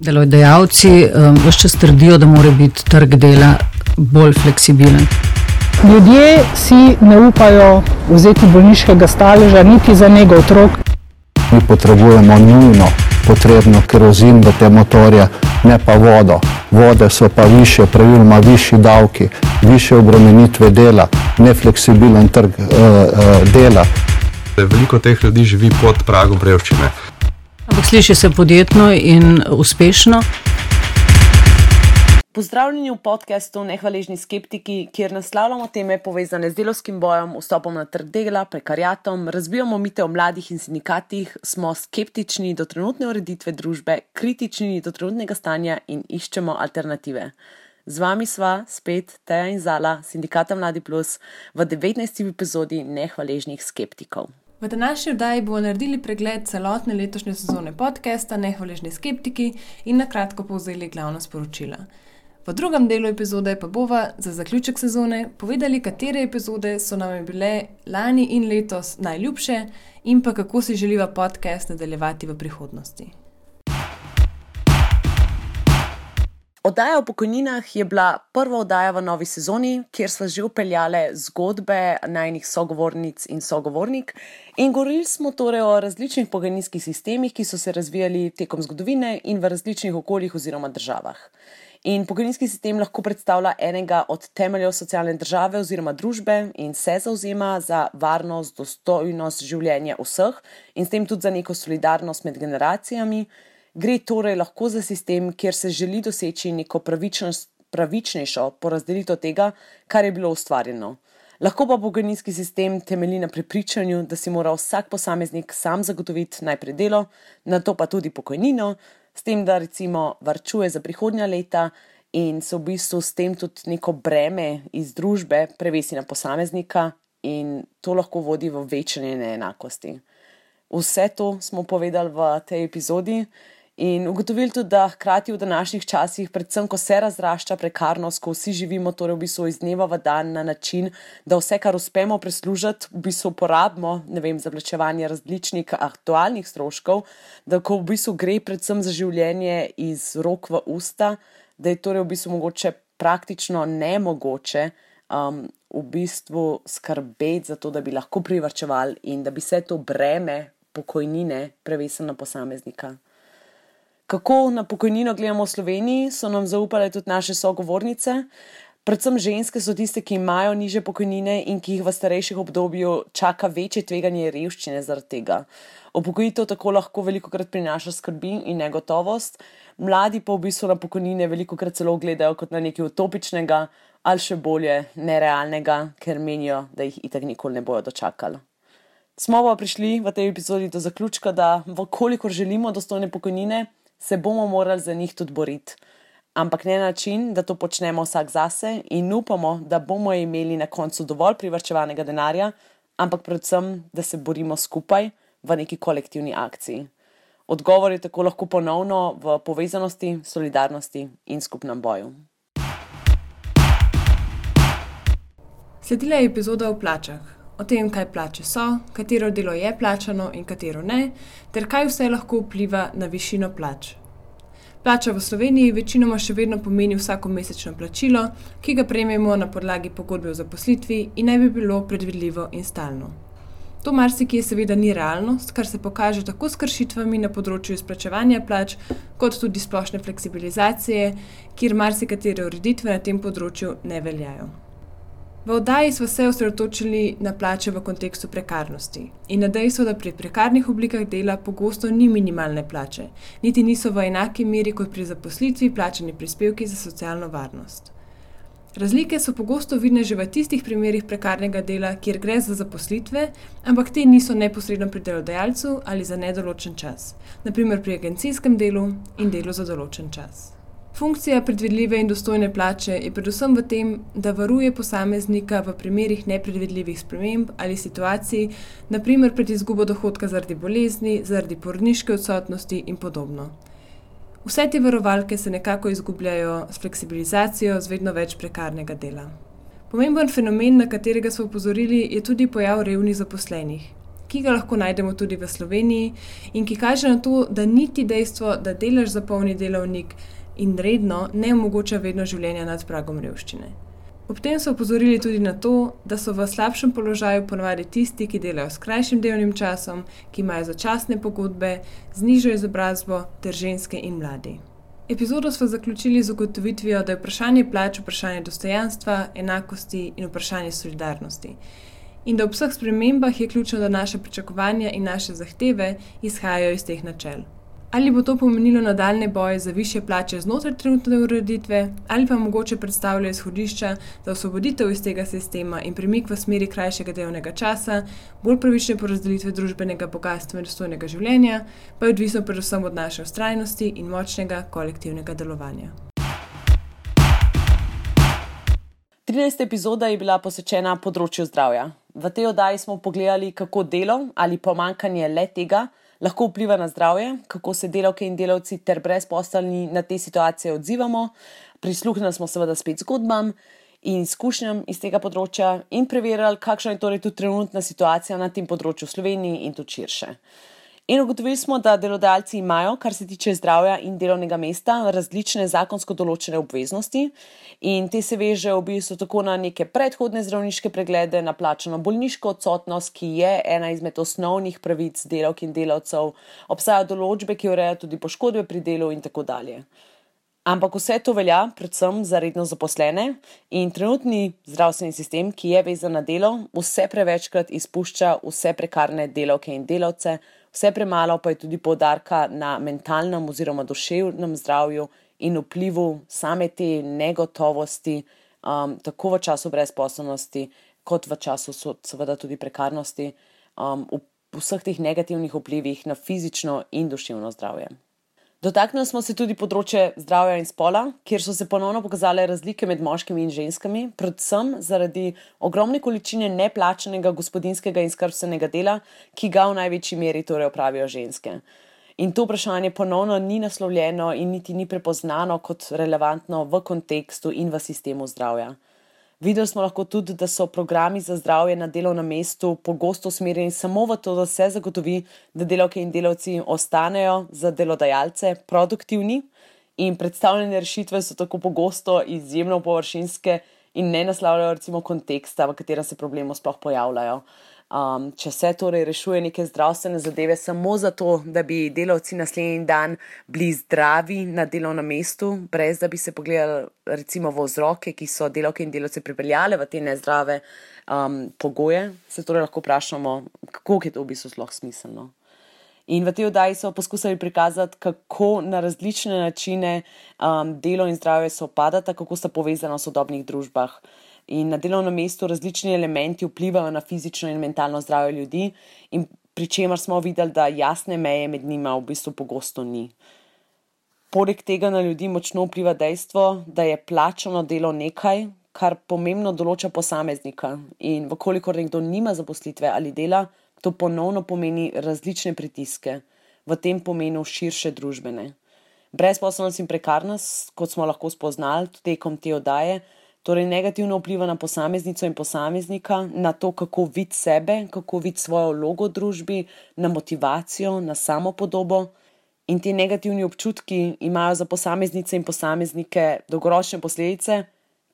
Delodajalci ves čas trdijo, da mora biti trg dela bolj fleksibilen. Ljudje si ne upajo vzeti bolniškega staleža niti za nego otrok. Mi potrebujemo nujno potrebno kerozin v te motorje, ne pa vodo. Vode so pa više, praviloma višji davki, više obremenitve dela, nefleksibilen trg dela. Veliko teh ljudi živi pod pragom revščine. Ampak sliši se podjetno in uspešno. Pozdravljeni v podcastu Nehvaležni skeptiki, kjer naslavljamo teme povezane z delavskim bojem, vstopom na trg dela, prekariatom, razbijamo mite o mladih in sindikatih, smo skeptični do trenutne ureditve družbe, kritični do trenutnega stanja in iščemo alternative. Z vami sva spet Teja in Zala, Sindikata Mladi Plus, v 19. epizodi Nehvaležnih skeptikov. V današnji oddaji bomo naredili pregled celotne letošnje sezone podcasta Nehvaležni skeptiki in na kratko povzeli glavna sporočila. V drugem delu epizode pa bova za zaključek sezone povedali, katere epizode so nam bile lani in letos najljubše in pa kako si želiva podcast nadaljevati v prihodnosti. Oddaja o pokojninah je bila prva oddaja v novi sezoni, kjer sva že upeljale zgodbe najinih sogovornic in sogovornik in govorili smo torej o različnih pokojninskih sistemih, ki so se razvijali tekom zgodovine in v različnih okoljih oziroma državah. In pokojninski sistem lahko predstavlja enega od temeljev socialne države oziroma družbe in se zavzema za varnost, dostojnost življenja vseh in s tem tudi za neko solidarnost med generacijami. Gre torej lahko za sistem, kjer se želi doseči neko pravičnejšo porazdelitev tega, kar je bilo ustvarjeno. Lahko pa pokojninski sistem temelji na prepričanju, da si mora vsak posameznik sam zagotoviti najprej delo, nato pa tudi pokojnino, s tem, da recimo varčuje za prihodnja leta in se v bistvu s tem tudi neko breme iz družbe prevesi na posameznika in to lahko vodi v večanje neenakosti. Vse to smo povedali v tej epizodi in ugotovili tudi, da hkrati v današnjih časih, predvsem ko se razrašča prekarnost, ko vsi živimo torej v bistvu iz dneva v dan na način, da vse, kar uspemo preslužiti, v bistvu porabimo, za plačevanje različnih aktualnih stroškov, da ko v bistvu gre predvsem za življenje iz rok v usta, da je torej v bistvu mogoče praktično nemogoče v bistvu skrbeti za to, da bi lahko privarčevali in da bi se to breme pokojnine prevesili na posameznika. Kako na pokojnino gledamo v Sloveniji, so nam zaupale tudi naše sogovornice. Predvsem ženske so tiste, ki imajo nižje pokojnine in ki jih v starejših obdobju čaka večje tveganje revščine zaradi tega. Upokojitev tako lahko velikokrat prinaša skrbi in negotovost, mladi pa v bistvu na pokojnine velikokrat celo gledajo kot na nekaj utopičnega ali še bolje nerealnega, ker menijo, da jih itak nikoli ne bojo dočakali. Smo pa prišli v tej epizodi do zaključka, da kolikor želimo dostojne pokojnine, se bomo morali za njih tudi boriti. Ampak ne na način, da to počnemo vsak zase in upamo, da bomo imeli na koncu dovolj privarčevanega denarja, ampak predvsem, da se borimo skupaj v neki kolektivni akciji. Odgovor je tako lahko ponovno v povezanosti, solidarnosti in skupnem boju. Sledila je epizoda o plačah. O tem, kaj plače so, katero delo je plačano in katero ne, ter kaj vse lahko vpliva na višino plač. Plača v Sloveniji večinoma še vedno pomeni vsakomesečno plačilo, ki ga prejmemo na podlagi pogodbe o zaposlitvi in naj bi bilo predvidljivo in stalno. To marsikje seveda ni realnost, kar se pokaže tako s kršitvami na področju izplačevanja plač, kot tudi splošne fleksibilizacije, kjer marsikatere ureditve na tem področju ne veljajo. V oddaji smo se osredotočili na plače v kontekstu prekarnosti in na dejstvo, da pri prekarnih oblikah dela pogosto ni minimalne plače, niti niso v enaki meri kot pri zaposlitvi plačani prispevki za socialno varnost. Razlike so pogosto vidne že v tistih primerih prekarnega dela, kjer gre za zaposlitve, ampak te niso neposredno pri delodajalcu ali za nedoločen čas, na primer pri agencijskem delu in delu za določen čas. Funkcija predvidljive in dostojne plače je predvsem v tem, da varuje posameznika v primerih nepredvidljivih sprememb ali situacij, na primer pred izgubo dohodka zaradi bolezni, zaradi porodniške odsotnosti in podobno. Vse te varovalke se nekako izgubljajo s fleksibilizacijo z vedno več prekarnega dela. Pomemben fenomen, na katerega smo opozorili, je tudi pojav revnih zaposlenih, ki ga lahko najdemo tudi v Sloveniji in ki kaže na to, da niti dejstvo, da delaš za polni delovnik in redno, ne omogoča vedno življenja nad pragom revščine. Ob tem so opozorili tudi na to, da so v slabšem položaju ponavadi tisti, ki delajo s krajšim delovnim časom, ki imajo začasne pogodbe, z nižjo izobrazbo ter ženske in mladi. Epizodo smo zaključili z ugotovitvijo, da je vprašanje plač vprašanje dostojanstva, enakosti in vprašanje solidarnosti. In da ob vseh spremembah je ključno, da naše pričakovanja in naše zahteve izhajajo iz teh načel. Ali bo to pomenilo nadaljnje boje za višje plače znotraj trenutne ureditve, ali pa mogoče predstavlja izhodišča za osvoboditev iz tega sistema in premik v smeri krajšega delovnega časa, bolj pravične porazdelitve družbenega bogastva in dostojnega življenja, pa je odvisno predvsem od naše vztrajnosti in močnega kolektivnega delovanja. 13. epizoda je bila posvečena področju zdravja. V tej oddaji smo pogledali, kako delo ali pomanjkanje le tega lahko vpliva na zdravje, kako se delavke in delavci ter brezposelni na te situacije odzivamo, prisluhnili smo seveda spet zgodbam in izkušnjam iz tega področja in preverjali, kakšna je torej tudi trenutna situacija na tem področju v Sloveniji in tudi širše. In ugotovili smo, da delodajalci imajo, kar se tiče zdravja in delovnega mesta, različne zakonsko določene obveznosti in te se vežejo v bistvu tako na neke predhodne zdravniške preglede, na plačano bolniško odsotnost, ki je ena izmed osnovnih pravic delavk in delavcev, obstajajo določbe, ki urejajo tudi poškodbe pri delu in tako dalje. Ampak vse to velja predvsem za redno zaposlene in trenutni zdravstveni sistem, ki je vezan na delo, vse prevečkrat izpušča vse prekarne delavke in delavce, vse premalo pa je tudi poudarka na mentalnem oziroma duševnem zdravju in vplivu same te negotovosti, tako v času brezposelnosti, kot v času seveda tudi prekarnosti, vseh teh negativnih vplivih na fizično in duševno zdravje. Dotaknili smo se tudi področje zdravja in spola, kjer so se ponovno pokazale razlike med moškimi in ženskami, predvsem zaradi ogromne količine neplačanega gospodinjskega in skrbstvenega dela, ki ga v največji meri torej opravijo ženske. In to vprašanje ponovno ni naslovljeno in niti ni prepoznano kot relevantno v kontekstu in v sistemu zdravja. Videli smo lahko tudi, da so programi za zdravje na delovnem mestu pogosto usmerjeni samo v to, da se zagotovi, da delavke in delavci ostanejo za delodajalce produktivni in predstavljene rešitve so tako pogosto izjemno površinske in ne naslavljajo recimo konteksta, v katerem se problemi sploh pojavljajo. Če se torej rešuje neke zdravstvene zadeve samo zato, da bi delavci naslednji dan bili zdravi na delovnem mestu, brez da bi se pogledali recimo v vzroke, ki so delavke in delavce pripeljale v te nezdrave pogoje, se torej lahko vprašamo, kako je to v bistvu sploh smiselno. In v tej oddaji so poskusili prikazati, kako na različne načine delo in zdravje sovpadata, kako sta povezana v sodobnih družbah. In na delovnem mestu različni elementi vplivajo na fizično in mentalno zdravje ljudi in pri čemer smo videli, da jasne meje med njima v bistvu pogosto ni. Poleg tega na ljudi močno vpliva dejstvo, da je plačano delo nekaj, kar pomembno določa posameznika in vkolikor nekdo nima zaposlitve ali dela, to ponovno pomeni različne pritiske, v tem pomenu širše družbene. Brezposelnost in prekarnost, kot smo lahko spoznali tekom te oddaje, torej negativno vpliva na posameznico in posameznika, na to, kako vidi sebe, kako vidi svojo vlogo v družbi, na motivacijo, na samopodobo. In ti negativni občutki imajo za posameznice in posameznike dolgoročne posledice,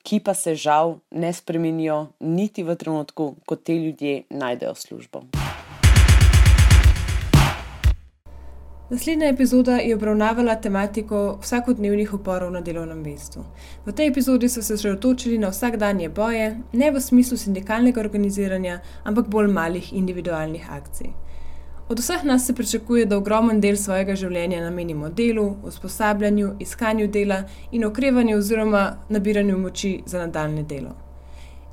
ki pa se žal ne spremenijo niti v trenutku, ko te ljudje najdejo službo. Naslednja epizoda je obravnavala tematiko vsakodnevnih uporov na delovnem mestu. V tej epizodi so se osredotočili na vsakdanje boje, ne v smislu sindikalnega organiziranja, ampak bolj malih individualnih akcij. Od vseh nas se pričakuje, da ogromen del svojega življenja namenimo delu, usposabljanju, iskanju dela in okrevanju oziroma nabiranju moči za nadaljnje delo.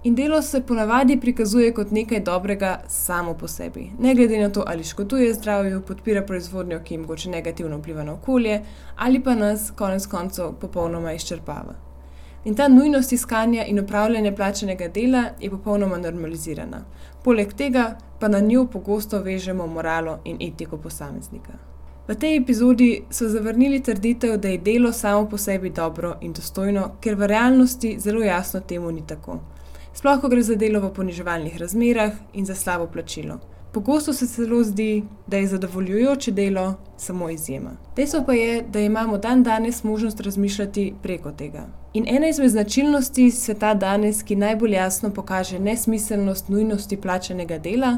In delo se ponavadi prikazuje kot nekaj dobrega samo po sebi, ne glede na to, ali škoduje zdravju, podpira proizvodnjo, ki mogoče negativno vpliva na okolje, ali pa nas konec koncev popolnoma izčrpava. In ta nujnost iskanja in opravljanja plačanega dela je popolnoma normalizirana. Poleg tega pa na njo pogosto vežemo moralo in etiko posameznika. V tej epizodi so zavrnili trditev, da je delo samo po sebi dobro in dostojno, ker v realnosti zelo jasno temu ni tako. Sploh, ko gre za delo v poniževalnih razmerah in za slabo plačilo. Pogosto se celo zdi, da je zadovoljujoče delo samo izjema. Dejstvo pa je, da imamo dandanes možnost razmišljati preko tega. In ena izmed značilnosti sveta danes, ki najbolj jasno pokaže nesmiselnost nujnosti plačanega dela,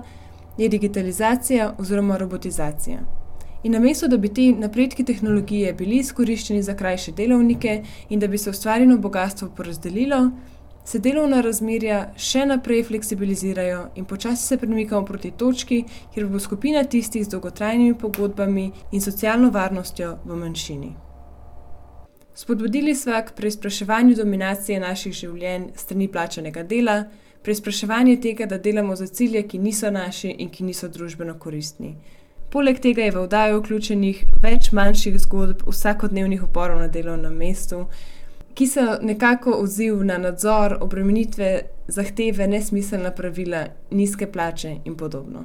je digitalizacija oziroma robotizacija. In namesto, da bi ti napredki tehnologije bili izkoriščeni za krajše delovnike in da bi se ustvarjeno bogastvo porazdelilo, se delovna razmerja še naprej fleksibilizirajo in počasi se premikamo proti točki, kjer bo skupina tistih z dolgotrajnimi pogodbami in socialno varnostjo v manjšini. Spodbudili sva k preizpraševanju dominacije naših življenj strani plačanega dela, preizpraševanje tega, da delamo za cilje, ki niso naši in ki niso družbeno koristni. Poleg tega je v oddajo vključenih več manjših zgodb vsakodnevnih uporov na delovnem mestu, ki so nekako odziv na nadzor, obremenitve, zahteve, nesmiselna pravila, nizke plače in podobno.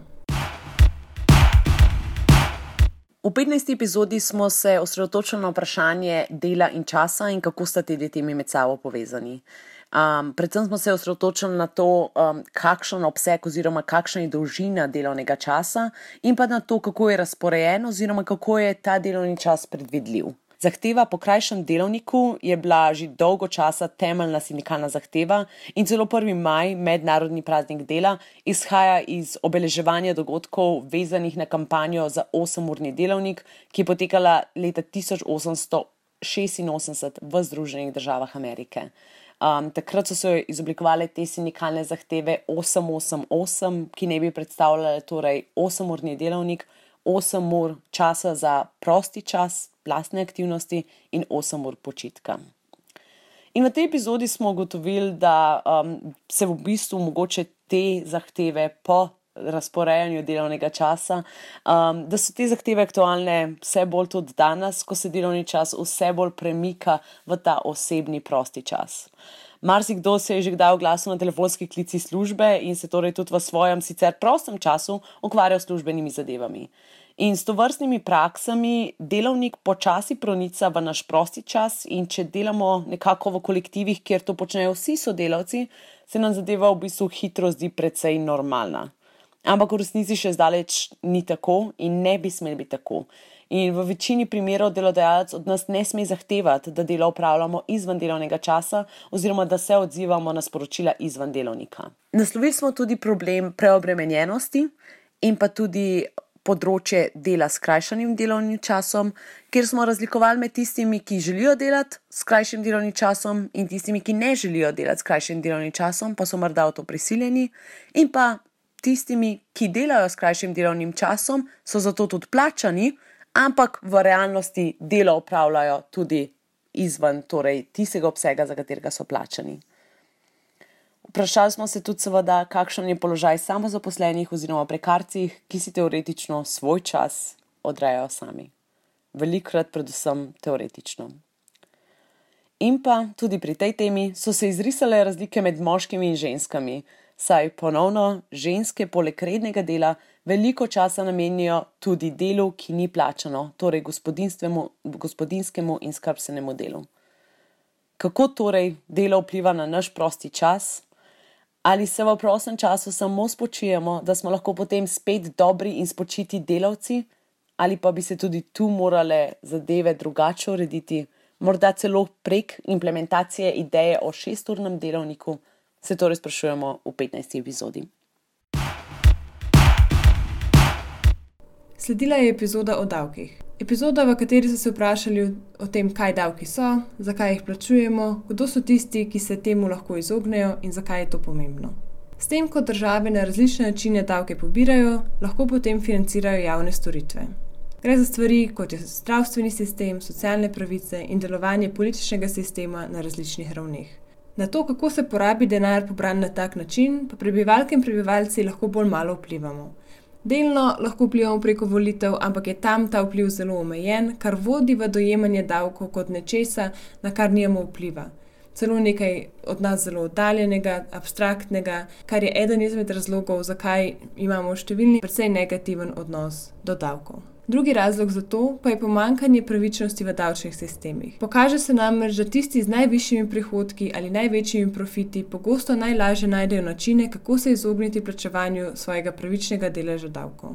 V 15. epizodi smo se osredotočili na vprašanje dela in časa in kako sta te dve temi med sabo povezani. Predvsem smo se osredotočili na to, kakšen obseg oziroma kakšna je dolžina delovnega časa in pa na to, kako je razporejen oziroma kako je ta delovni čas predvidljiv. Zahteva po krajšem delovniku je bila že dolgo časa temeljna sindikalna zahteva in celo 1. maj, mednarodni praznik dela, izhaja iz obeleževanja dogodkov vezanih na kampanjo za 8-urni delovnik, ki je potekala leta 1886 v Združenih državah Amerike. Takrat so se izoblikovale te sindikalne zahteve 888, ki ne bi predstavljale torej 8-urni delovnik, 8 ur časa za prosti čas, lastne aktivnosti in 8 ur počitka. In v tej epizodi smo ugotovili, da se v bistvu mogoče te zahteve po razporejanju delovnega časa, da so te zahteve aktualne vse bolj tudi danes, ko se delovni čas vse bolj premika v ta osebni prosti čas. Marsikdo se je že kdaj oglasil na telefonski klici službe in se torej tudi v svojem sicer prostem času ukvarjal s službenimi zadevami. In s tovrstnimi praksami delovnik počasi pronica v naš prosti čas in če delamo nekako v kolektivih, kjer to počnejo vsi sodelavci, se nam zadeva v bistvu hitro zdi precej normalna. Ampak v resnici še zdaleč ni tako in ne bi smeli biti tako. In v večini primerov delodajalec od nas ne sme zahtevati, da delo opravljamo izven delovnega časa oziroma da se odzivamo na sporočila izven delovnika. Naslovili smo tudi problem preobremenjenosti in pa tudi področje dela s skrajšanim delovnim časom, kjer smo razlikovali med tistimi, ki želijo delati s krajšim delovnim časom in tistimi, ki ne želijo delati s krajšim delovnim časom, pa so morda v to prisiljeni, in pa tistimi, ki delajo s krajšim delovnim časom, so zato tudi plačani, ampak v realnosti delo opravljajo tudi izven torej tistega obsega, za katerega so plačani. Vprašali smo se tudi seveda, kakšen je položaj samozaposlenih oziroma prekarcih, ki si teoretično svoj čas odrejajo sami. Velikokrat predvsem teoretično. In pa tudi pri tej temi so se izrisale razlike med moškimi in ženskami, saj ponovno ženske poleg rednega dela veliko časa namenijo tudi delu, ki ni plačano, torej gospodinjskemu in skrbstvenemu delu. Kako torej delo vpliva na naš prosti čas? Ali se v prostem času samo spočijemo, da smo lahko potem spet dobri in spočiti delavci? Ali pa bi se tudi tu morale zadeve drugače urediti, morda celo prek implementacije ideje o 6-urnem delovniku, se torej sprašujemo v 15. epizodi. Sledila je epizoda o davkih. Epizoda, v kateri so se vprašali o tem, kaj davki so, zakaj jih plačujemo, kdo so tisti, ki se temu lahko izognejo in zakaj je to pomembno. S tem, ko države na različne načine davke pobirajo, lahko potem financirajo javne storitve. Gre za stvari, kot je zdravstveni sistem, socialne pravice in delovanje političnega sistema na različnih ravneh. Na to, kako se porabi denar pobran na tak način, pa prebivalke in prebivalci lahko bolj malo vplivamo. Delno lahko vplivamo preko volitev, ampak je tam ta vpliv zelo omejen, kar vodi v dojemanje davkov kot nečesa, na kar nimamo vpliva. Celo nekaj od nas zelo oddaljenega, abstraktnega, kar je eden izmed razlogov, zakaj imamo številni precej negativen odnos do davkov. Drugi razlog za to pa je pomanjkanje pravičnosti v davčnih sistemih. Pokaže se namreč, da tisti z najvišjimi prihodki ali največjimi profiti pogosto najlažje najdejo načine, kako se izogniti plačevanju svojega pravičnega deleža davkov.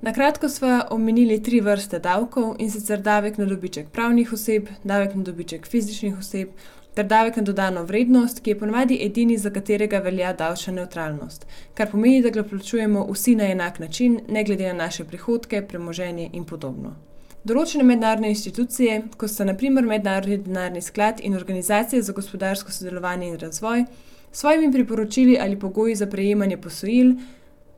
Na kratko sva omenili 3 vrste davkov, in sicer davek na dobiček pravnih oseb, davek na dobiček fizičnih oseb ter davek na dodano vrednost, ki je ponavadi edini, za katerega velja davčna nevtralnost, kar pomeni, da ga plačujemo vsi na enak način, ne glede na naše prihodke, premoženje in podobno. Določene mednarodne institucije, kot sta na primer Mednarodni denarni sklad in Organizacija za gospodarsko sodelovanje in razvoj, s svojimi priporočili ali pogoji za prejemanje posojil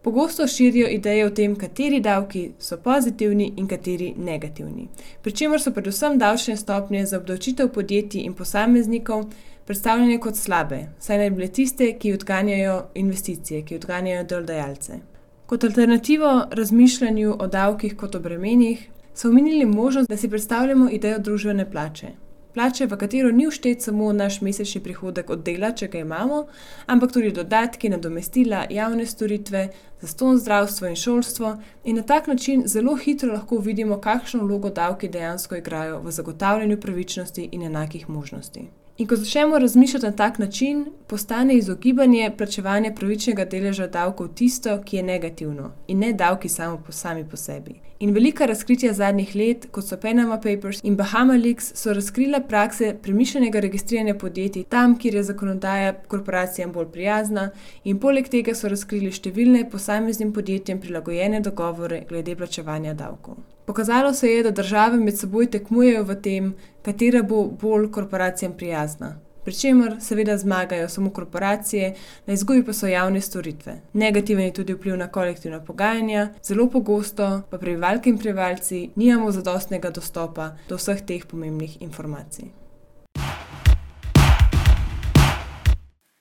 pogosto širijo ideje o tem, kateri davki so pozitivni in kateri negativni. Pričemer so predvsem davčne stopnje za obdavčitev podjetij in posameznikov predstavljene kot slabe, saj naj bi bile tiste, ki odganjajo investicije, ki odganjajo delodajalce. Kot alternativo razmišljanju o davkih kot o bremenih so omenili možnost, da si predstavljamo idejo družbene plače. Plače, v katero ni vštet samo naš mesečni prihodek od dela, če ga imamo, ampak tudi dodatki, nadomestila, javne storitve, zastonj zdravstvo in šolstvo, in na tak način zelo hitro lahko vidimo, kakšno vlogo davki dejansko igrajo v zagotavljanju pravičnosti in enakih možnosti. In ko začnemo razmišljati na tak način, postane izogibanje plačevanja pravičnega deleža davkov tisto, ki je negativno, in ne davki sami po sebi. In velika razkritja zadnjih let, kot so Panama Papers in Bahama Leaks, so razkrila prakse premišljenega registriranja podjetij tam, kjer je zakonodaja korporacijam bolj prijazna, in poleg tega so razkrili številne posameznim podjetjem prilagojene dogovore glede plačevanja davkov. Pokazalo se je, da države med seboj tekmujejo v tem, katera bo bolj korporacijam prijazna. Pričemer seveda zmagajo samo korporacije, na izgubi pa so javne storitve. Negativen je tudi vpliv na kolektivna pogajanja, zelo pogosto pa prebivalke in prebivalci nimamo zadostnega dostopa do vseh teh pomembnih informacij.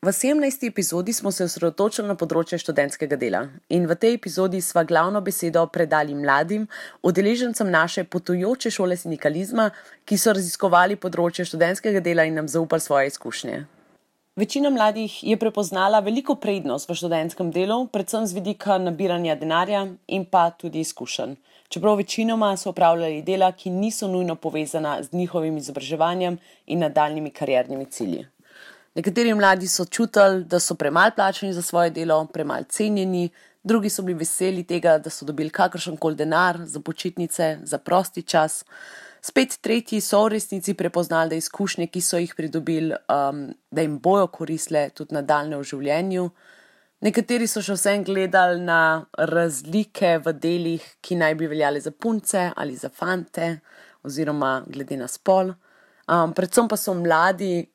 V 17. epizodi smo se osredotočili na področje študentskega dela in v tej epizodi sva glavno besedo predali mladim, udeležencem naše potujoče šole sindikalizma, ki so raziskovali področje študentskega dela in nam zaupali svoje izkušnje. Večina mladih je prepoznala veliko prednost v študentskem delu, predvsem z vidika nabiranja denarja in pa tudi izkušenj. Čeprav večinoma so opravljali dela, ki niso nujno povezana z njihovim izobraževanjem in nadaljnjimi kariernimi cilji. Nekateri mladi so čutili, da so premalo plačani za svoje delo, premalo cenjeni, drugi so bili veseli tega, da so dobili kakršenkoli denar za počitnice, za prosti čas. Spet tretji so v resnici prepoznali, da izkušnje, ki so jih pridobili, da jim bojo koristile tudi nadaljne v življenju. Nekateri so še vsem gledali na razlike v delih, ki naj bi veljale za punce ali za fante, oziroma glede na spol. Predvsem pa so mladi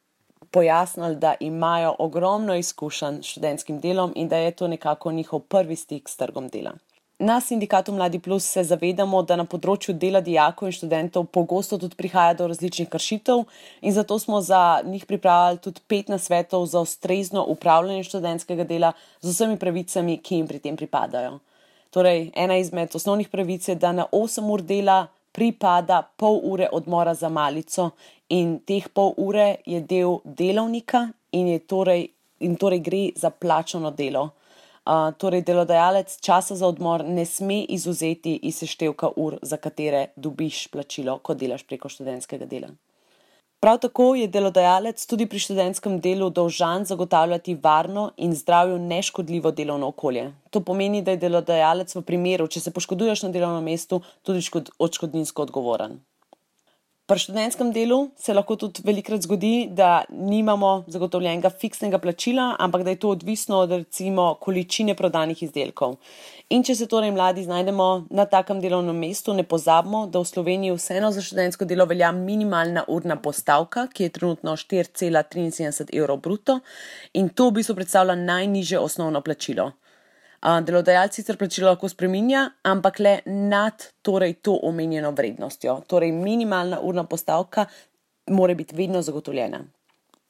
pojasnili, da imajo ogromno izkušenj s študentskim delom in da je to nekako njihov prvi stik s trgom dela. Na sindikatu Mladi Plus se zavedamo, da na področju dela dijakov in študentov pogosto tudi prihaja do različnih kršitev in zato smo za njih pripravili tudi 5 nasvetov za ustrezno upravljanje študentskega dela z vsemi pravicami, ki jim pri tem pripadajo. Torej, ena izmed osnovnih pravic je, da na 8 ur dela pripada pol ure odmora za malico in teh pol ure je del delovnika in torej gre za plačano delo. Torej delodajalec časa za odmor ne sme izvzeti iz seštevka ur, za katere dobiš plačilo, ko delaš preko študentskega dela. Prav tako je delodajalec tudi pri študentskem delu dolžan zagotavljati varno in zdravju neškodljivo delovno okolje. To pomeni, da je delodajalec v primeru, če se poškoduješ na delovnem mestu, tudi odškodninsko odgovoren. Pri študentskem delu se lahko tudi velikokrat zgodi, da nimamo zagotovljenega fiksnega plačila, ampak da je to odvisno od recimo količine prodanih izdelkov. In če se torej mladi znajdemo na takem delovnem mestu, ne pozabimo, da v Sloveniji vseeno za študentsko delo velja minimalna urna postavka, ki je trenutno 4,73 evrov bruto in to v bistvu predstavlja najnižje osnovno plačilo. Delodajalci sicer plačilo lahko spreminja, ampak le nad torej to omenjeno vrednostjo. Torej minimalna urna postavka mora biti vedno zagotovljena.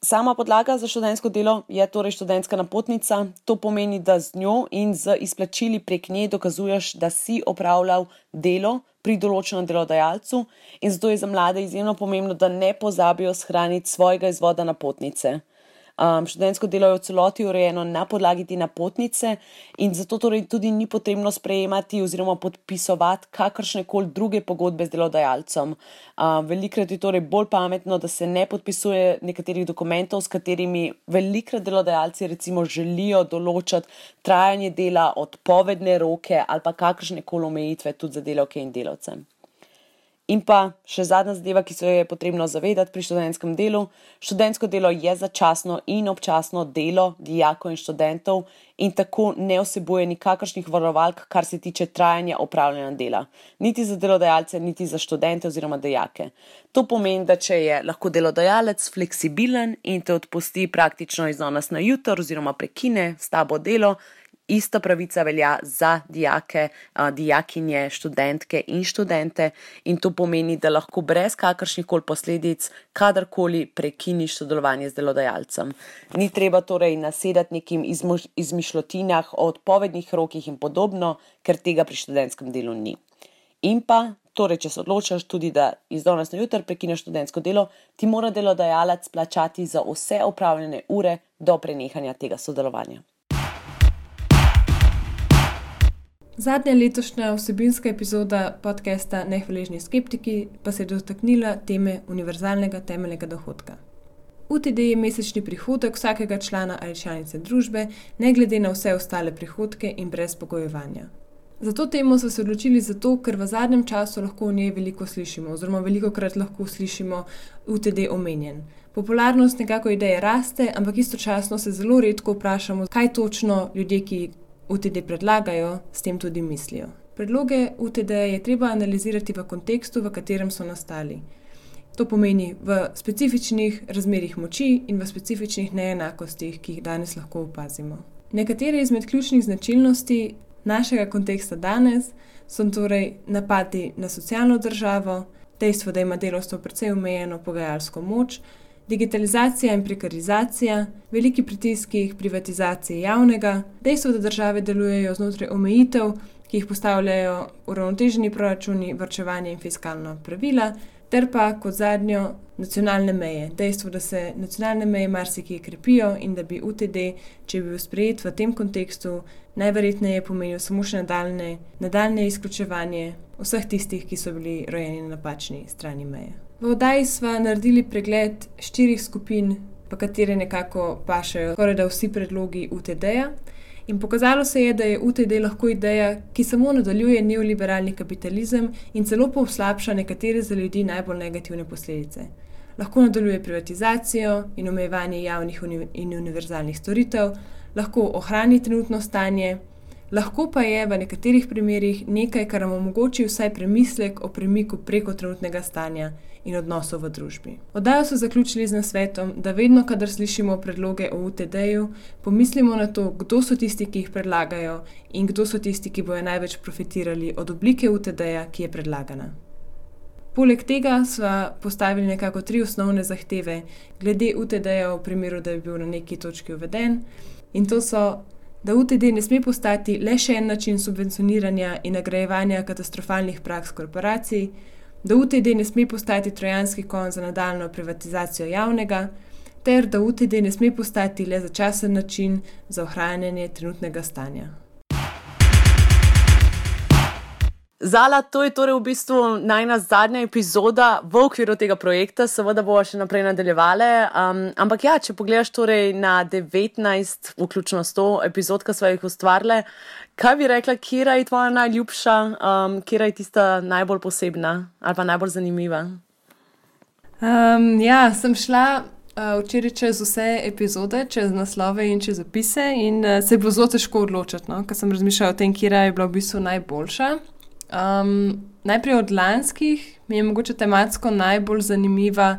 Sama podlaga za študentsko delo je torej študentska napotnica. To pomeni, da z njo in z izplačili prek nje dokazuješ, da si opravljal delo pri določenem delodajalcu in zato je za mlade izjemno pomembno, da ne pozabijo shraniti svojega izvoda napotnice. Študentsko delo je v celoti urejeno na podlagi te napotnice in zato torej tudi ni potrebno sprejemati oziroma podpisovati kakršnekoli druge pogodbe z delodajalcem. Velikokrat je torej bolj pametno, da se ne podpisuje nekaterih dokumentov, s katerimi velikokrat delodajalci recimo želijo določati trajanje dela, odpovedne roke ali pa kakršnekoli omejitve tudi za delavke in delavce. In pa še zadnja zadeva, ki se je potrebno zavedati pri študentskem delu. Študentsko delo je začasno in občasno delo dijakov in študentov in tako ne vsebuje nikakršnih varovalk, kar se tiče trajanja opravljanja dela. Niti za delodajalce, niti za študente oziroma dijake. To pomeni, da če je lahko delodajalec fleksibilen in te odpusti praktično iz danes na jutro oziroma prekine s tabo delo, ista pravica velja za dijake, dijakinje, študentke in študente in to pomeni, da lahko brez kakršnihkoli posledic kadarkoli prekiniš sodelovanje z delodajalcem. Ni treba torej nasedati nekim izmišljotinah o odpovednih rokih in podobno, ker tega pri študentskem delu ni. In pa, torej, če se odločaš tudi, da iz danes na jutro prekineš študentsko delo, ti mora delodajalec plačati za vse opravljene ure do prenehanja tega sodelovanja. Zadnja letošnja vsebinska epizoda podcasta Nehvaležni skeptiki pa se je dotaknila teme univerzalnega temeljnega dohodka. UTD je mesečni prihodek vsakega člana ali članice družbe, ne glede na vse ostale prihodke in brez pogojevanja. Za to temo so se odločili zato, ker v zadnjem času lahko o njej veliko slišimo, oziroma velikokrat lahko slišimo UTD omenjen. Popularnost nekako ideje raste, ampak istočasno se zelo redko vprašamo, kaj točno ljudje, ki UTD predlagajo, s tem tudi mislijo. Predloge UTD je treba analizirati v kontekstu, v katerem so nastali. To pomeni v specifičnih razmerih moči in v specifičnih neenakostih, ki jih danes lahko opazimo. Nekatere izmed ključnih značilnosti našega konteksta danes so torej napadi na socialno državo, dejstvo, da ima delavstvo precej omejeno pogajalsko moč, digitalizacija in prekarizacija, veliki pritiski privatizacije javnega, dejstvo, da države delujejo znotraj omejitev, ki jih postavljajo uravnoteženi proračuni, varčevanje in fiskalna pravila, ter pa kot zadnjo nacionalne meje. Dejstvo, da se nacionalne meje marsikje krepijo in da bi UTD, če bi bil sprejet v tem kontekstu, najverjetneje pomenil samo še nadaljnje izključevanje vseh tistih, ki so bili rojeni na napačni strani meje. V oddaji sva naredili pregled 4 skupin, pa katere nekako pašajo skorajda vsi predlogi UTD-ja in pokazalo se je, da je UTD lahko ideja, ki samo nadaljuje neoliberalni kapitalizem in celo poslabša nekatere za ljudi najbolj negativne posledice. Lahko nadaljuje privatizacijo in omejevanje javnih in univerzalnih storitev, lahko ohrani trenutno stanje, lahko pa je v nekaterih primerih nekaj, kar nam omogoči vsaj premislek o premiku preko trenutnega stanja in odnosov v družbi. Oddajo so zaključili z nasvetom, da vedno, kadar slišimo predloge o UTD-ju, pomislimo na to, kdo so tisti, ki jih predlagajo in kdo so tisti, ki bojo največ profitirali od oblike UTD-ja, ki je predlagana. Poleg tega sva postavili nekako 3 osnovne zahteve glede UTD-ja v primeru, da bi bil na neki točki uveden in to so, da UTD ne sme postati le še en način subvencioniranja in nagrajevanja katastrofalnih praks korporacij, da UTD ne sme postati trojanski konj za nadaljnjo privatizacijo javnega, ter da UTD ne sme postati le začasen način za ohranjanje trenutnega stanja. Zala, to je torej v bistvu najna zadnja epizoda v okviru tega projekta, seveda bomo še naprej nadaljevali, ampak ja, če pogledaš torej na 19, vključno 100 epizod, ki sva jih ustvarile, kaj bi rekla, kera je tvoja najljubša, kera je tista najbolj posebna ali pa najbolj zanimiva? Ja, sem šla včeraj čez vse epizode, čez naslove in čez opise in se je bilo zelo težko odločiti, no? Ker sem razmišljala o tem, kera je bila v bistvu najboljša. Najprej od lanskih mi je mogoče tematsko najbolj zanimiva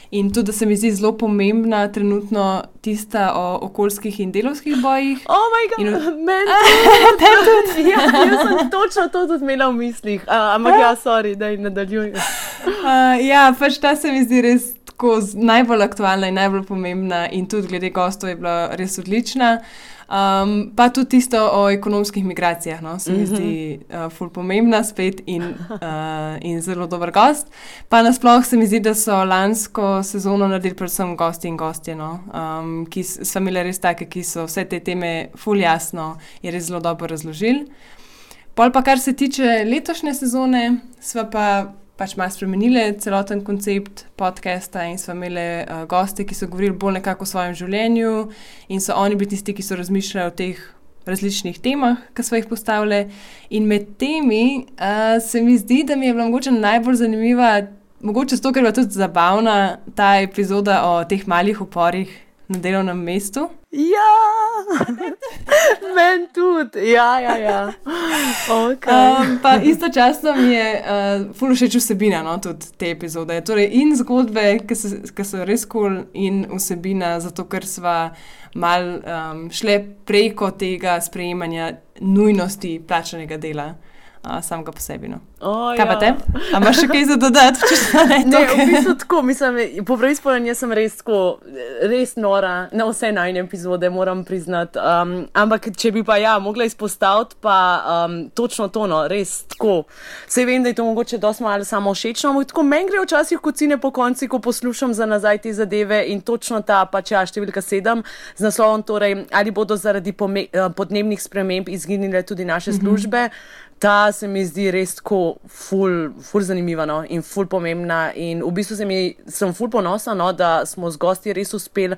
in tudi, da se mi zdi zelo pomembna trenutno tista o okoljskih in delavskih bojih. Oh my god, meni tudi! Ja, jaz sem točno to tudi imela v mislih, ampak ja, sorry, daj nadaljuj. Ja, pač ta se mi zdi res tako najbolj aktualna in najbolj pomembna in tudi glede gostov je bila res odlična. Pa tudi tisto o ekonomskih migracijah, no, se mi zdi ful pomembna spet in zelo dober gost. Pa nasploh se mi zdi, da so lansko sezono naredili predvsem gosti in gostje, no, ki so imeli res take, ki so vse te teme ful jasno in res zelo dobro razložili. Pol pa, kar se tiče letošnje sezone, sva pač malo spremenili celoten koncept podcasta in sva imeli goste, ki so govorili bolj nekako o svojem življenju in so oni bili tisti, ki so razmišljali o teh različnih temah, ki sva jih postavili. In med temi se mi zdi, da mi je bila mogoče najbolj zanimiva, mogoče zato, ker je bila tudi zabavna ta epizoda o teh malih uporih na delovnem mestu. Ja, meni tudi, ja. Okay. Pa istočasno mi je ful všeč vsebina, no, tudi te epizode. Torej in zgodbe, ki so res cool, in vsebina, zato ker sva mal šle preko tega sprejemanja nujnosti plačanega dela. Samega po sebi, no. Kaj pa te? A imaš še kaj za dodati? Ne, v bistvu tako, mislim, po pravi spolen, jaz sem res nora na vse najne epizode, moram priznati. Ampak če bi pa mogla izpostaviti, pa točno to, no, res tako. Saj vem, da je to mogoče dosti malo samo všečno, ampak tako meni gre včasih kocine po konci, ko poslušam za nazaj te zadeve in točno ta pač številka 7 z naslovom, torej, ali bodo zaradi podnebnih sprememb izginile tudi naše službe. Ta se mi zdi res tako ful zanimiva, no, in ful pomembna in v bistvu sem ful ponosna, no, da smo z gosti res uspeli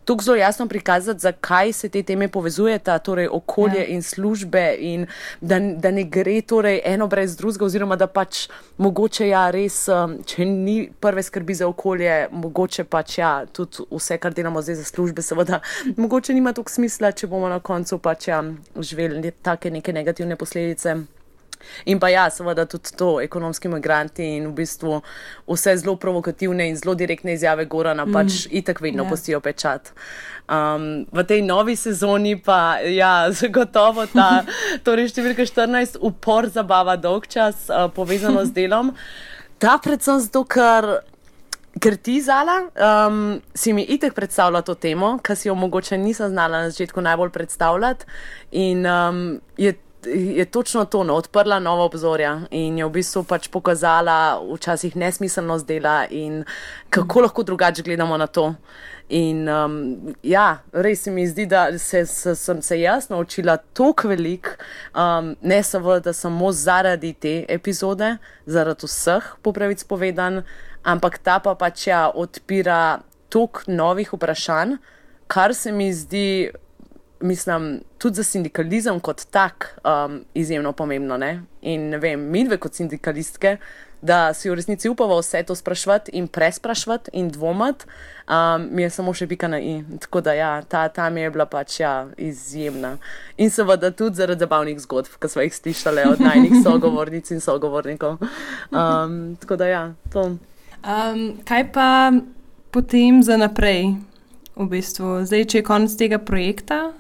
tako zelo jasno prikazati, zakaj se te teme povezujeta, torej okolje in službe in da ne gre torej eno brez drugega oziroma da pač mogoče res, če ni prve skrbi za okolje, mogoče pač tudi vse, kar delamo zdaj za službe, seveda mogoče nima toliko smisla, če bomo na koncu pač živeli take neke negativne posledice. In pa seveda tudi to, ekonomski migranti in v bistvu vse zelo provokativne in zelo direktne izjave Gorana pač itak vedno pustijo pečat. V tej novi sezoni pa zagotovo torej številka 14, upor, zabava, dolgčas, povezano z delom. Ta predvsem zato, ker ti, Zala, si mi itak predstavlja to temo, ker si jo mogoče nisem znala na začetku najbolj predstavljati in je točno to, no, odprla nova obzorja in je v bistvu pač pokazala včasih nesmiselnost dela in kako lahko drugače gledamo na to. In res se mi zdi, da sem se jaz naučila toliko veliko, ne seveda samo zaradi te epizode, zaradi vseh, po pravici povedan, ampak ta pa pač odpira toliko novih vprašanj, kar se mi zdi, mislim, tudi za sindikalizem kot tak izjemno pomembno, ne? In ne vem, midve kot sindikalistke, da si v resnici upava vse to sprašvati in presprašvati in dvomati, mi je samo še pika na i. Tako da ta mi je bila pač izjemna. In seveda tudi zaradi zabavnih zgodb, ki smo jih slišali od najnih sogovornic in sogovornikov. Tako da to. Kaj pa potem za naprej? V bistvu, zdaj, če je konec tega projekta,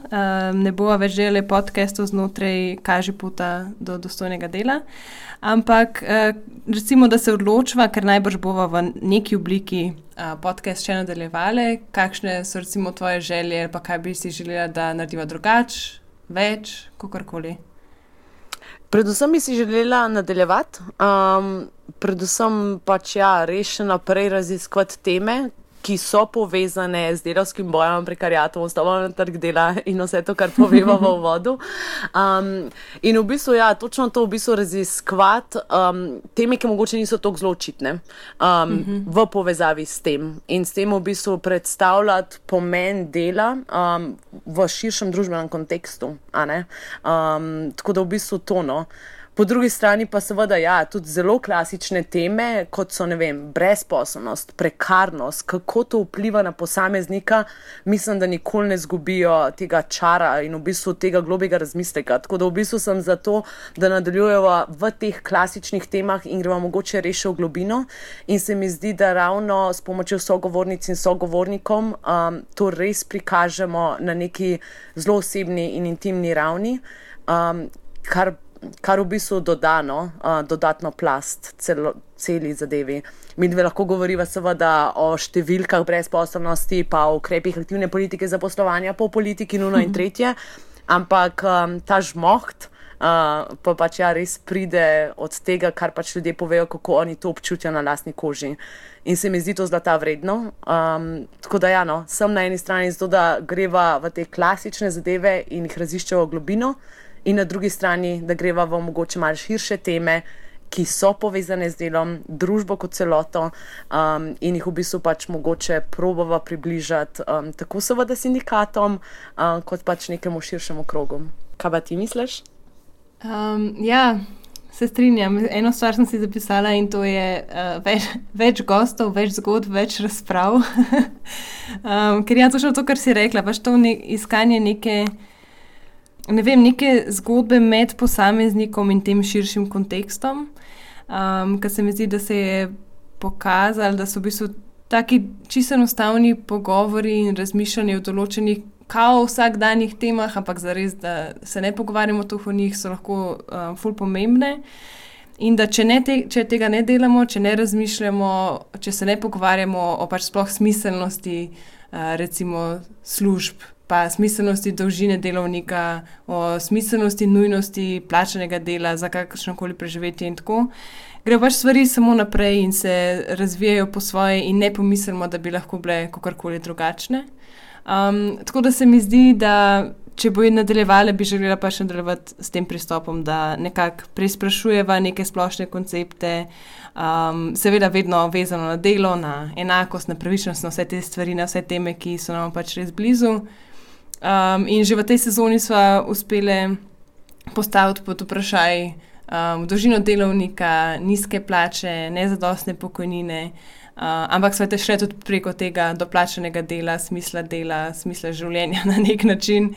ne bova več delali podcastov znotraj Kažipota do dostojnega dela, ampak recimo, da se odločva, ker najbrž bova v neki obliki podcast še nadaljevali, kakšne so recimo tvoje želje, pa kaj bi si želela, da narediva drugače, več, kakorkoli? Predvsem bi si želela nadaljevati, predvsem pač res še naprej raziskovati teme, ki so povezane z delavskim bojem, prekariatom, vstopom na trg dela in vse to, kar poveva v uvodu. In v bistvu, točno to v bistvu raziskovati teme, ki mogoče niso toliko zelo očitne v povezavi s tem. In s tem v bistvu predstavljati pomen dela v širšem družbenem kontekstu. Tako da v bistvu to, no. Po drugi strani pa seveda tudi zelo klasične teme, kot so, ne vem, brezposelnost, prekarnost, kako to vpliva na posameznika, mislim, da nikoli ne zgubijo tega čara in v bistvu tega globjega razmisleka. Tako da v bistvu sem za to, da nadaljujeva v teh klasičnih temah in greva mogoče res v globino in se mi zdi, da ravno s pomočjo sogovornic in sogovornikom to res prikažemo na neki zelo osebni in intimni ravni, kar kar v bistvu dodatno plast celi zadevi. Mi dve lahko govoriva seveda o številkah brezposelnosti, pa o ukrepih aktivne politike zaposlovanja, po politiki nuno in tretje, ampak ta žmoht pa pač res pride od tega, kar pač ljudje povejo, kako oni to občutijo na lastni koži. In se mi zdi to zlata vredno. Tako da sem na eni strani zato, da greva v te klasične zadeve in jih raziščejo v globino, in na drugi strani, da greva v mogoče malo širše teme, ki so povezane z delom, družbo kot celoto, in jih v bistvu pač mogoče probava približati tako seveda sindikatom, kot pač nekemu širšemu krogu. Kaj pa ti misliš? Se strinjam. Eno stvar sem si zapisala in to je več gostov, več zgodb, več razprav. Ker točno to, kar si rekla, pač to iskanje neke zgodbe med posameznikom in tem širšim kontekstom, ker se mi zdi, da se je pokazalo, da so v bistvu taki čisto enostavni pogovori in razmišljanje o določenih kao vsakdanjih temah, ampak zares, da se ne pogovarjamo o njih, so lahko ful pomembne. In da če tega ne delamo, če ne razmišljamo, če se ne pogovarjamo o pač sploh smiselnosti recimo služb, pa smiselnosti dolžine delovnika, o smiselnosti nujnosti plačanega dela za kakršnokoli preživetje in tako, grejo pač stvari samo naprej in se razvijajo po svoje in ne pomislimo, da bi lahko bile kakorkoli drugačne. Tako da se mi zdi, da če bo nadaljevala, bi želela pa še nadaljevati s tem pristopom, da nekako preizprašujeva neke splošne koncepte, seveda vedno vezano na delo, na enakost, na pravičnost, na vse te stvari, na vse teme, ki so nam pač res blizu. In že v tej sezoni sva uspele postaviti pod vprašaj dolžino delovnika, nizke plače, nezadostne pokojnine, ampak sva šle tudi preko tega doplačanega dela, smisla življenja na nek način.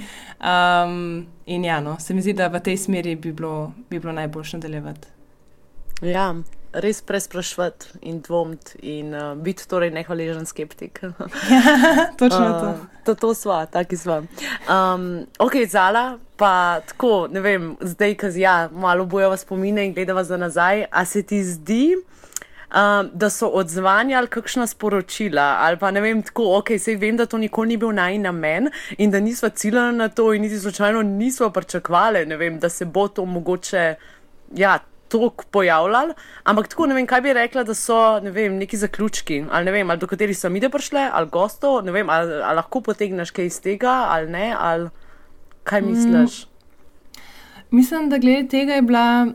In se mi zdi, da v tej smeri bi bilo najboljše nadaljevati. Ja, res presprašvati in dvomiti in biti torej nehvaležen skeptik. Točno to. To sva, taki sva. Ok, Zala, pa tako, ne vem, zdaj, malo bojava spomine in gledava za nazaj, a se ti zdi, da so odzvanjali kakšna sporočila, ali pa ne vem, tako, sej vem, da to nikoli ni bil najin namen in da nisva ciljali na to in niti slučajno nisva pričakovali, ne vem, da se bo to mogoče, toliko pojavljalo, ampak tako, ne vem, kaj bi rekla, da so, ne vem, neki zaključki, ali ne vem, ali do katerih so mi prišle, ali gostov, ne vem, ali lahko potegneš kaj iz tega, ali ne, ali kaj misliš? Mislim, da glede tega je bila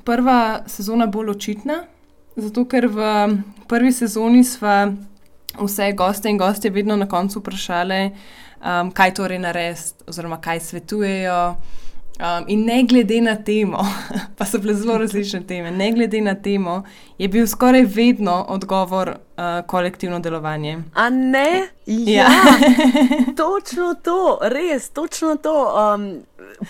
prva sezona bolj očitna, zato ker v prvi sezoni sva vse goste in gostje vedno na koncu vprašale, kaj torej narediti oziroma kaj svetujejo. In ne glede na temo, pa so bile zelo različne teme, ne glede na temo, je bil skoraj vedno odgovor kolektivno delovanje. A ne? Ja, točno to, res, točno to.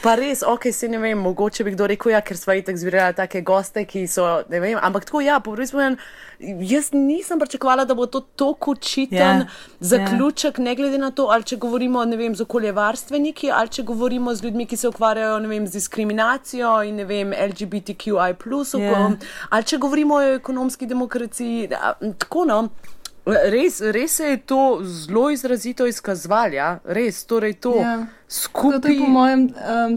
Pa res, se ne vem, mogoče bi kdo rekel, ker sva itak zbirala take goste, ki so, ne vem, ampak tako, po prvi spomen, jaz nisem pričakovala, da bo to toliko očiten zaključek, ne glede na to, ali če govorimo, ne vem, z okoljevarstveniki, ali če govorimo z ljudmi, ki se ukvarjajo, ne vem, z diskriminacijo in, ne vem, LGBTQI+, ali če govorimo o ekonomski demokraciji, tako, Res se je to zelo izrazito izkazovalo, res, torej to skupaj. To je po mojem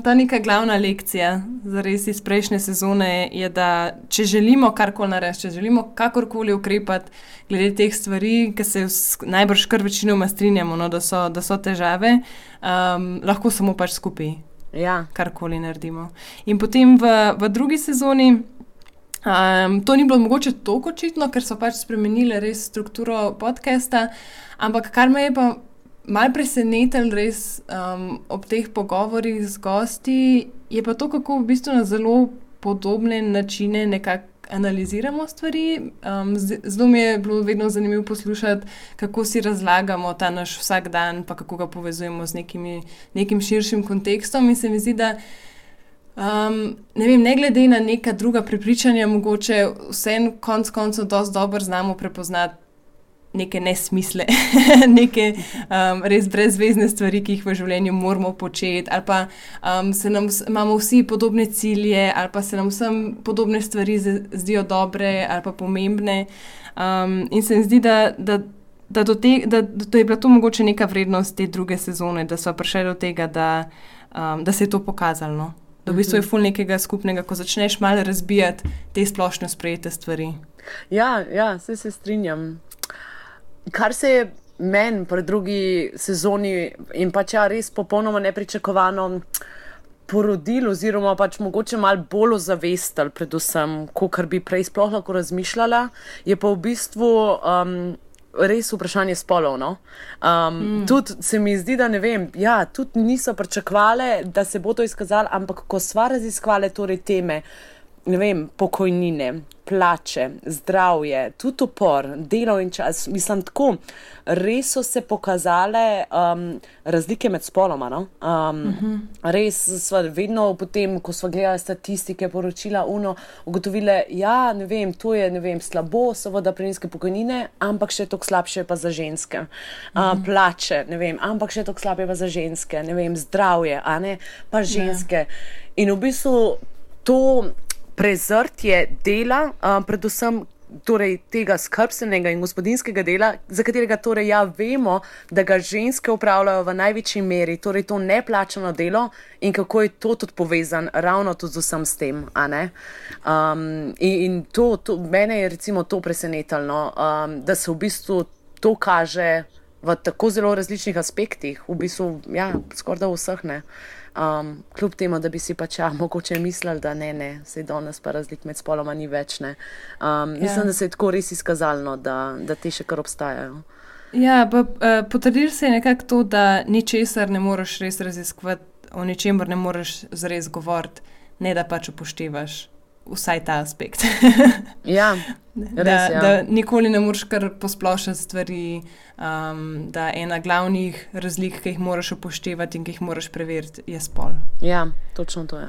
ta neka glavna lekcija zares iz prejšnje sezone, je, da če želimo karkoli narediti, če želimo kakorkoli ukrepati glede teh stvari, ki se najbrž kar večinoma strinjamo, da so težave, lahko samo pač skupaj karkoli naredimo. In potem v drugi sezoni to ni bilo mogoče toliko očitno, ker so pač spremenili res strukturo podcasta, ampak kar me je pa malo presenetilo res ob teh pogovorih z gosti, je pa to, kako v bistvu na zelo podobne načine nekako analiziramo stvari. Zelo mi je bilo vedno zanimivo poslušati, kako si razlagamo ta naš vsak dan, pa kako ga povezujemo z nekim širšim kontekstom, in se mi zdi, da ne vem, ne glede na neka druga prepričanja, mogoče vseeno konec koncev dosti dobro znamo prepoznati neke nesmisle, neke res brezvezne stvari, ki jih v življenju moramo početi, ali pa imamo vsi podobne cilje, ali pa se nam vsem podobne stvari zdijo dobre ali pa pomembne. In se mi zdi, da je bila to mogoče neka vrednost te druge sezone, da so prišli do tega, da se je to pokazalo. No? Da v bistvu je ful nekega skupnega, ko začneš malo razbijati te splošno sprejete stvari. Ja, se strinjam. Kar se je meni pri drugi sezoni in pač res popolnoma nepričakovano porodil oziroma pač mogoče malo bolj ozavestil predvsem, kakor bi prej sploh lahko razmišljala, je pa v bistvu res vprašanje spolov, no. Tudi se mi zdi, da ne vem, tudi niso pričakovale, da se bo to izkazalo, ampak ko sva raziskovale torej teme, ne vem, pokojnine, plače, zdravje, tudi upor, delo in čas, mislim tako, res so se pokazale razlike med spoloma, no. Res sva vedno potem, ko sva gledala statistike, poročila, ugotovile, ne vem, to je, ne vem, slabo, seveda pri nizke pokojnine, ampak še toliko slabše pa za ženske. Plače, ne vem, ampak še toliko slabše pa za ženske, ne vem, zdravje, a ne, pa ženske. In v bistvu to prezrtje dela, predvsem torej tega skrbstvenega in gospodinjskega dela, za katerega torej vemo, da ga ženske opravljajo v največji meri, torej to neplačano delo in kako je to tudi povezan ravno tudi z vsem s tem, a ne. In to mene je recimo to presenetilo, da se v bistvu to kaže v tako zelo različnih aspektih, v bistvu, skoraj da vseh, ne. Kljub temu, da bi si pač mogoče mislili, da ne, saj danes pa razlik med spoloma ni več, ne. Mislim, da se je tako res izkazalo, da te še kar obstajajo. Ja, pa potrdil se je nekako to, da ničesar ne moreš res raziskovati, o ničemer ne moreš zares govoriti, ne da pač upoštevaš vsaj ta aspekt. Ja, res, da nikoli ne moreš kar posplošati stvari, da ena glavnih razlik, ki jih moraš upoštevati in ki jih moraš preveriti, je spol. Ja, točno to je.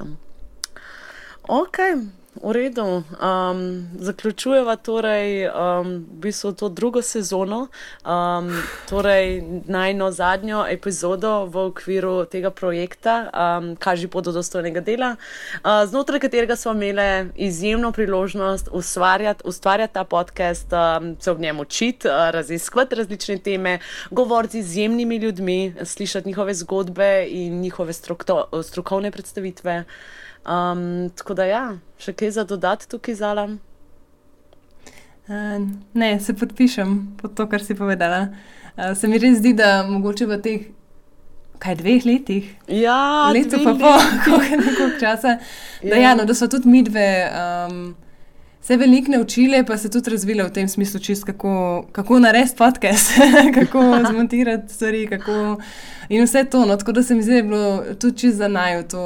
Ok, v redu. Zaključujeva torej v bistvu to drugo sezono, torej najno zadnjo epizodo v okviru tega projekta, Kaži pot do dostojnega dela, znotraj katerega smo imeli izjemno priložnost ustvarjati ta podcast, se ob njem učiti, raziskovati različne teme, govoriti z izjemnimi ljudmi, slišati njihove zgodbe in njihove strokovne predstavitve. Tako da še kaj za dodati tukaj, Zala? Ne, se podpišem pod to, kar si povedala. Se mi res zdi, da mogoče v teh 2 letih? Ja, leto pa koliko časa. Da so tudi midve se veliko naučile, pa se tudi razvile v tem smislu čist, kako narediti podcast, kako zmontirati stvari, in vse to. No, tako da se mi zdi, da je bilo tudi čist za naju to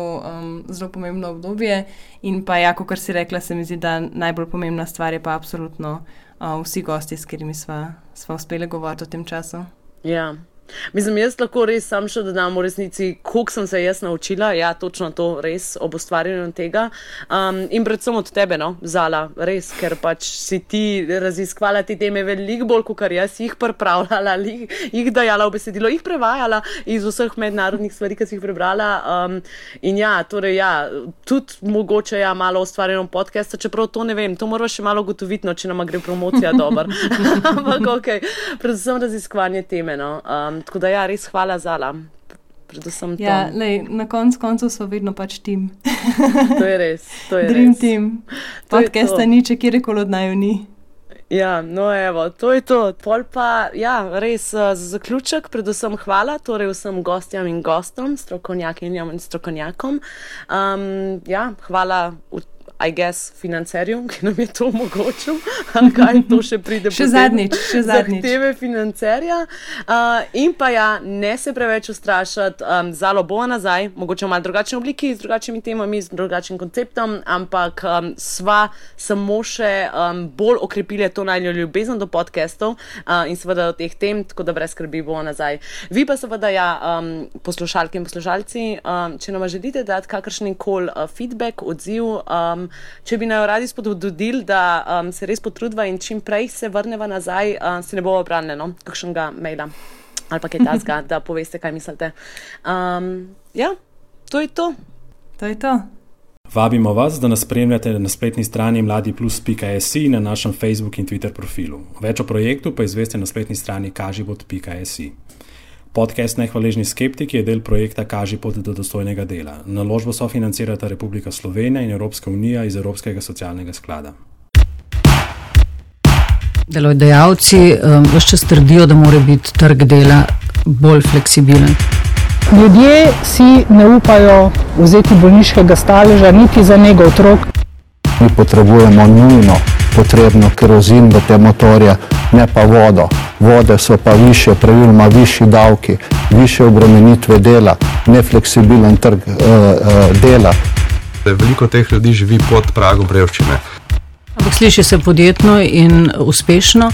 zelo pomembno obdobje. In pa kot si rekla, se mi zdi, da najbolj pomembna stvar je pa absolutno vsi gosti, s katerimi sva uspeli govoriti v tem času. Ja. Mislim, jaz lahko res sam še dodam v resnici, koliko sem se jaz naučila, točno to res ob ustvarjanju tega. In predvsem od tebe, no, Zala, res, ker pač si ti raziskvala te teme veliko bolj, kot jaz jih pripravljala, jih dajala v besedilo, jih prevajala iz vseh mednarodnih stvari, ki si jih prebrala. In torej tudi mogoče malo ustvarjeno podcasta, čeprav to ne vem, to moramo še malo ugotoviti, no, če nama gre promocija dobro. Ampak okej, predvsem raziskovanje teme, no. Tako da res hvala, Zala. Predvsem to. Na koncu so vedno pač tim. To je res. Dream team. Podcasta ni, če kjerkoli od naju ni. Ja, no evo, to je to. Pol pa, res za zaključek, predvsem hvala, torej vsem gostjam in gostom, strokovnjakinjam in strokovnjakom. Hvala I guess, financerju, ki nam je to omogočil, kaj to še pride še zadnjič. Zahteve financerja. In pa ne se preveč ustrašati, Zalo bo nazaj, mogoče v malo drugačni obliki, z drugačnimi temami, z drugačnim konceptom, ampak sva samo še bolj okrepili to najno ljubezen do podcastov in seveda do teh tem, tako da brez skrbi bo nazaj. Vi pa seveda poslušalke in poslušalci, če nam želite dati kakršenkoli feedback, odziv, če bi naj radi spodbudili, da se res potrudva in čim prej se vrneva nazaj, se ne bo obranili, no? Kakšnega maila ali pa kaj tasga, da poveste, kaj mislite. Ja, to je to. To je to. Vabimo vas, da nas spremljate na spletni strani mladiplus.si in na našem Facebook in Twitter profilu. Več o projektu pa izveste na spletni strani kažipot.si. Podcast Nehvaležni skeptiki je del projekta Kažipot do dostojnega dela. Naložbo sofinancirata Republika Slovenija in Evropska unija iz Evropskega socialnega sklada. Delodajalci ves čas trdijo, da mora biti trg dela bolj fleksibilen. Ljudje si ne upajo vzeti bolniškega staleža niti za nego otrok. Mi potrebujemo nujno potrebno kerozin v te motorje, ne pa vodo. Vode so pa više, praviloma višji davki, više obremenitve dela, nefleksibilen trg dela. Veliko teh ljudi živi pod pragom revščine. Ampak sliši se podjetno in uspešno.